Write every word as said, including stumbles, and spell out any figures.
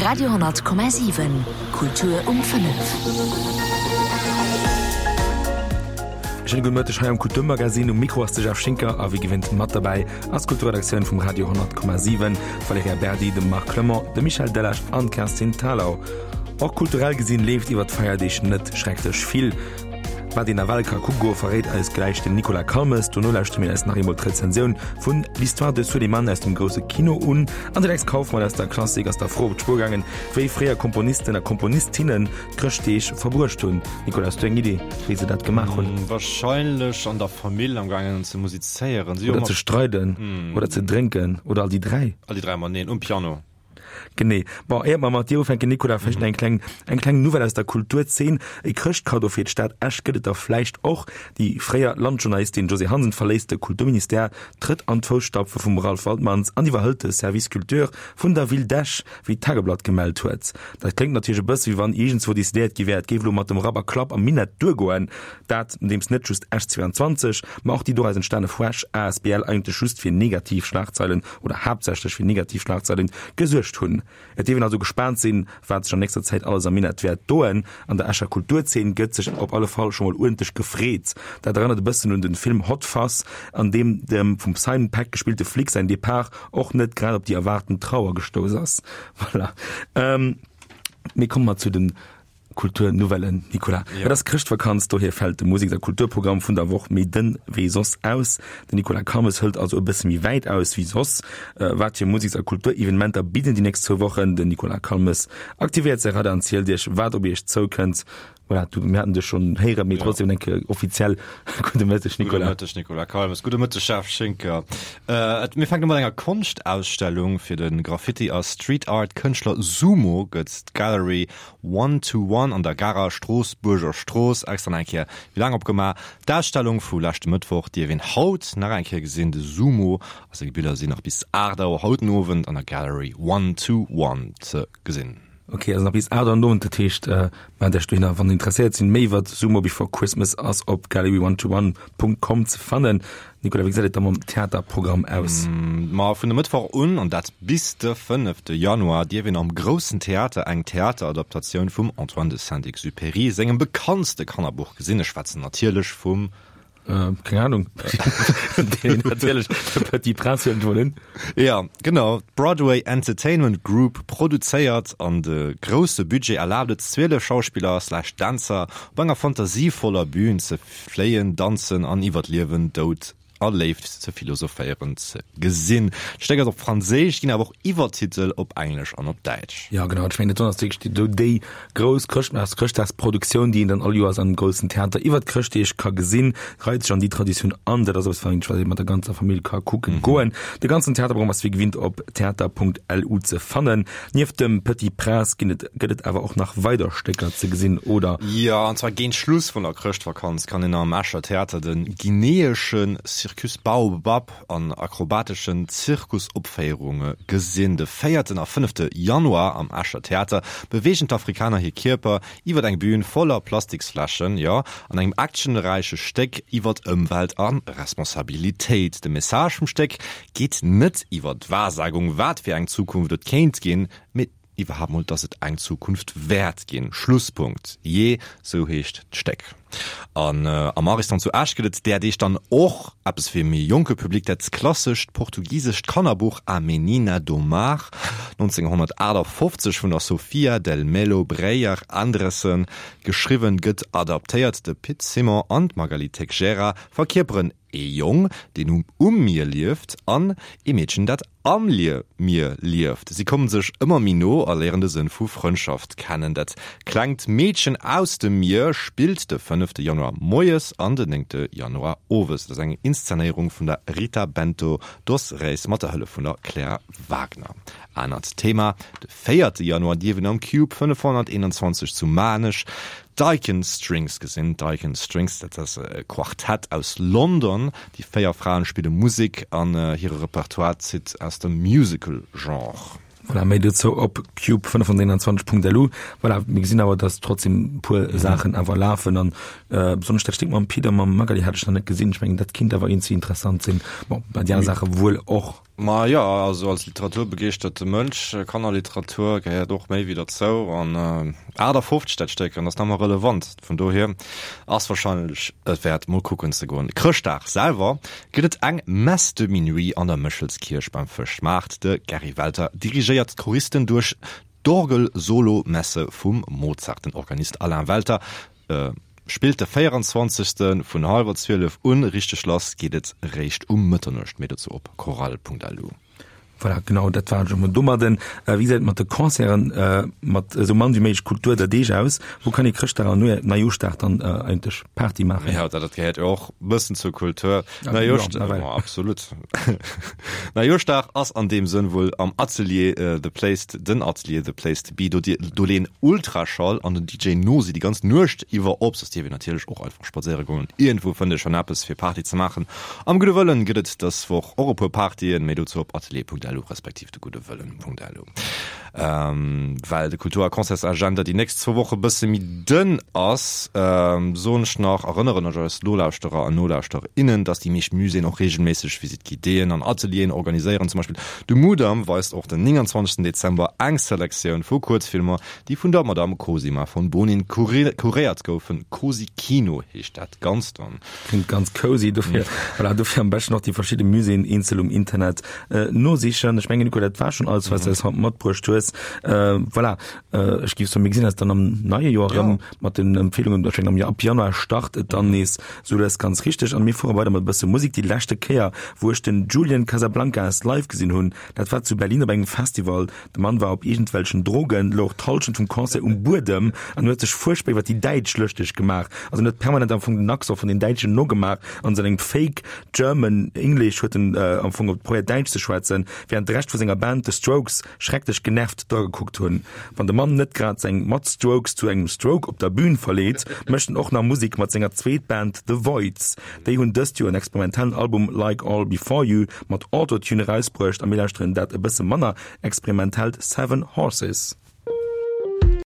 Radio honnert Komma siwen, Kultur um fënnef. Schéine gudde Mëtteg hei am Kulturmagazin. Um Mikro ass de Jeff Schinker a wéi gewinnt mat derbäi ass d'Kulturredaktioun vum Radio honnert Komma siwen, d'Valerija Berdi, de Marc Clement, de Michel Delage an d'Kerstin Thalau. Och kulturell gesinn leeft iwwer d'Feierdeeg net schrecklech vill. Wat een nawell ka kucke goen, verréit eis gläich den Nicolas Calmes. Dono lauschtere mir eis nach eemol d'Rezensioun vun L'histoire de Suleiman aus dem grousse Kino un. An de Lex Kauffmann aus der Klassik ass der Fro op d'Spuer gaangen, wéi fréier Komponisten a Komponistinnen d'Chrëschtdeeg verbruecht hunn. Nicolas, hues du eng Idee, wéi se dat gemaach hunn? Warscheinlech an der Famill am gaangen ze musizéieren. Oder ze streiden. Oder ze drénken. Oder all déi dräi. All déi dräi mateneen um Piano. Genee. Bon, éiert mer mat dir ufänken, Nicolas, vläicht eng kleng, eng kleng Nouvelle aus der Kulturzeen. E Chrëschtkaddo fir d'Stad Esch gëtt et der vläicht och. Déi fréier Landjournalistin Josée Hansen verléisst de Kulturministère, trëtt an d'Fousstapfe vum Ralph Waltmans an iwwerhëlt de Service Culture vun der Ville d'Esch, wéi d'Tageblatt gemellt huet. Dat kléngt natierlech e bësse wéi wann iergendzwou decidéiert gi wär, et géif elo mat dem Rapp a Klapp am Minett duergoen. Dat, nodeems net just Esch zweianzwanzeg, ma och déi doraus entstane Fuesch asbl eigentlech just fir negativ Schlagzeilen oder haaptsächlech fir negativ Schlagzeilen gesuergt hunn. Et dierf een also gespaant sinn, wat sech an nächster Zäit alles am Minett wäert doen. An der Escher Kulturzeen gëtt sech op alle Fall scho mol uerdentlech gefreet. Dat erënnert e bëssen un den Film Hot Fuzz, an deem dem vum Simon Pegg gespillte Flic säin Depart och net grad op déi erwaarten Trauer gestouss ass. Voilà. Mee komme mer zu den Kulturnouvellen, Nicolas. Ja. Et ass Chrëschtvakanz, dohier fält de Museks a Kulturprogramm vun der Woch méi dënn wéi soss aus. Den Nicolas Calmes hëlt also e bësse méi wäit aus wéi soss. Wat fir Museks a Kulturevenementer bidden déi nächst zwou Wochen? Den Nicolas Calmes aktivéiert säi Radar an zielt Iech, wat op Iech zoukënnt. Voilà, du, mir haten dech schonn héieren, mee trotzdem eng Kéier offiziell gudde Mëtteg, Nicolas. Gudde Mëtteg, Nicolas Calmes. Gudde Mëtteg, Jeff Schinker. Äh, mir fänken u mat enger Konschtausstellung. Fir de Graffiti a Street Art Kënschtler Sumo gëtt d'Gallery One to One an der Garer Stroossbuerger Strooss extra nach eng Kéier méi laang opgemaach. D'Ausstellung vu leschte Mëttwoch dierf een haut nach eng Kéier gesinn. De Sumo a seng Biller sinn nach bis aacht Auer haut den Owend an der Gallery One to One ze gesinn. Ok, also nach bis aacht Auer den Owend, dat heescht, mellt Iech dohinner, wann der interesséiert sinn. Méi iwwer Sumo Before Christmas ass op gallery one to one Punkt com ze fannen. Nicolas, wéi gesäit et da mam Theaterprogramm aus? Ma vun e Mëttwoch un, an dat bis de fënnefte Januar, dierf een am Groussen Theater eng Theateradaptatioun vum Antoine de Saint-Exupéry sengem bekanntste Kannerbuch gesinn. Ech schwätzen natierlech vum. Keng Ahnung. Natierlech de Petit Prince huelen ech mol un. Jo, genau. D'Broadway Entertainment Group produzéiert an de grousse Budget erlaabt et zwielef Schauspiller slash Dänzer op enger fantasievoller Bühn ze fléien, danzen an iwwer Liewen, Doud a Léift ze philosophéieren ze gesinn. D'Stéck ass op Franséisch, ginn awer och Iwwertitel op Englesch an op Däitsch. Jo, genau. Ech mengen, dat ass wierklech déi, déi grouss Chrëschtmaars-, Chrëschtdagsproduktioun, déi een dann all Joers am groussen Theater iwwert d'Chrëschtdeeg ka gesinn. Reit sech an déi Traditioun an. Dat ass eppes, wat ee mat der ganzer Famill ka kucken goen. De ganzen Theaterprogramm ass wéi gewinnt op theater.lu ze fannen. Nieft dem Petit Prince ginn et, gëtt et awer och nach weider Stécker ze gesinn, oder? Jo, an zwar géint Schluss vun der Chrëschtvakanz kann een am Escher Theater de guineesche Circus Baobab an akrobateschen Zirkusopféierunge gesinn. De véierten a fënnefte Januar am Escher Theater beweegen d'Afrikaner hir Kierper iwwer eng Bühn voller Plastiksfläschen, jo, an engem actionräiche Stéck iwwer Ëmwelt a Responsabilitéit. De Message vum Stéck geet net iwwer d'Wahrsagung, wat fir eng Zukunft et kéint ginn, mee iwwerhaapt mol, dass et eng Zukunft wäert ginn. Schlusspunkt. Jee, sou heescht d'Stéck. An am Ariston zu Esch gëtt et där Deeg dann och eppes fir e méi jonke Public, dat klassescht portugisescht Kannerbuch A Menina do Mar, nonzénghonnertaachtafoffzeg vun der Sofia del Melo Breyer Andresen geschriwwen, gëtt adaptéiert. De Pit Simon an d'Magali Teixeira verkierperen ee Jong, deen um Mier lieft, an ee Meedchen, dat am Mier lieft. Si kommen sech ëmmer méi no a léieren de Sënn vu Frëndschaft kennen. Dat klengt Meedchen aus dem Mier spillt de fënnefte Januar moies an den néngte Januar owes. Et ass eng Inszenéierung vun der Rita Bento dos Reis mat der Hëllef vun der Claire Wagner. Anert Thema, De véierte Januar dierf een am Cube fënnefhonnerteenanzwanzeg zu Maarnech d'Icon Strings gesinn. D'Icon Strings, dat ass e Quartett aus London. Déi véier Fraen spille Musek an hire Repertoire zitt aus dem Musical-Genre. Voilà, méi dozou op cube fënnefhonnerteenanzwanzeg Punkt lu. Voilà, mir gesinn awer, dass trotzdem e puer Saachen awer lafen an besonnesch dat Stéck mam Pit a mam Magali hat ech nach net gesinn. Ech mengen, dat kinnt awer iergendwéi interessant sinn. Bon, bei déi aner Saache wuel och. Ma jo, also als literaturbegeeschterte Mënsch, Kannerliteratur gehéiert och méi wéi derzou an achtafofzeg dat Stéck an ass nach ëmmer relevant, vun dohier ass wahrscheinlech et wäert mol kucken ze goen. Chrëschtdag selwer gëtt et eng Messe de minuit an der Méchelskierch beim Fëschmaart. De Gerry Welter dirigéiert d'Choristen duerch d'Orgel-Solo-Messe vum Mozart. Den Organist Alain Welter spillt de véierenzwanzegste vun hallwer zwielef un. Richteg lass geet et réischt um Mëtternuecht. Méi dozou op chorale.lu. Voilà, genau, dat war et emol domadden. Wéi gesäit et mat de Concerten, mat esou mann wéi méiglech Kultur der Deeg aus? Wou kann ee Chrëschtdag an Neijooschdag dann eigentlech Party maachen? Jo, dat gehéiert jo och e bëssen zur Kultur. Neijooschdag, absolut. Neijooschdag ass an deem Sënn wuel am Atelier The Place, den Atelier The Place to Be. Do, do leeën Ultraschall an den D J Nosi déi ganz Nuecht iwwer op. Soss dierf een natierlech och einfach spadséiere goen an iergendwou fënnt ee schonn eppes fir Party ze maachen. Am Gudde Wëllen gëtt et dës Woch och e puer Partyen, méi dozou op atelier.lu respektiv de Gudde Wëllen.lu. Well de Kultur a Concertsagenda déi nächst zwou Woche bësse méi dënn ass, soen ech nach, erënneren ech eis Nolauschterer an Nolauschtererinnen, dass déi meescht Muséeën och reegelméisseg Visite guidéeën an Atelieren organiséieren. Zum Beispill de Mudam weist och den nénganzwanzegsten Dezember eng Selektioun vu Kuerzfilmer, déi vun der Madamm Cosima von Bonin kuréiert goufen. Cosi Kino heescht dat Ganzt dann. Klingt ganz cozy, dofir, voilà, dofir am beschten och déi verschidde Muséeën eenzel um Internet nosichen. Ech mengen, Nico, dat war schonn alles, wat s du eis haut matbruecht hues. Voilà, ech géif soen, mir gesinn eis dann am neie Joer erëm mat den Empfeelungen. Ech mengen, am ab Januar start et dann nees sou lues ganz richteg. An mir fuere weider mat e bësse Musek. Déi leschte Kéier, wou ech den Julian Casablancas live gesinn hunn, dat war zu Berlin op engem Festival. De Mann war op iergendwelchen Drogen, louch d'Hallschent vum Concert um Buedem an huet sech fuerchtbar iwwer déi Däitsch lëschteg gemaach. Also en huet permanent am Fong den Accent vun den Däitschen nogemaach an sengem Fake German English huet en am Fong probéiert Däitsch ze schwätzen, während de Rescht vu senger Band, The Strokes, schrecklech genervt dragekuckt hunn. Wann de Mann net grad seng Mat-Strokes zu engem Stroke op der Bühn verleet, mécht en och nach Musek mat senger Zweetband The Voidz. Déi hunn dëst Joer en experimentellen Album Like All Before You mat Autotune erausbruecht a mir lauschteren dat e bësse manner experimentellt Seven Horses.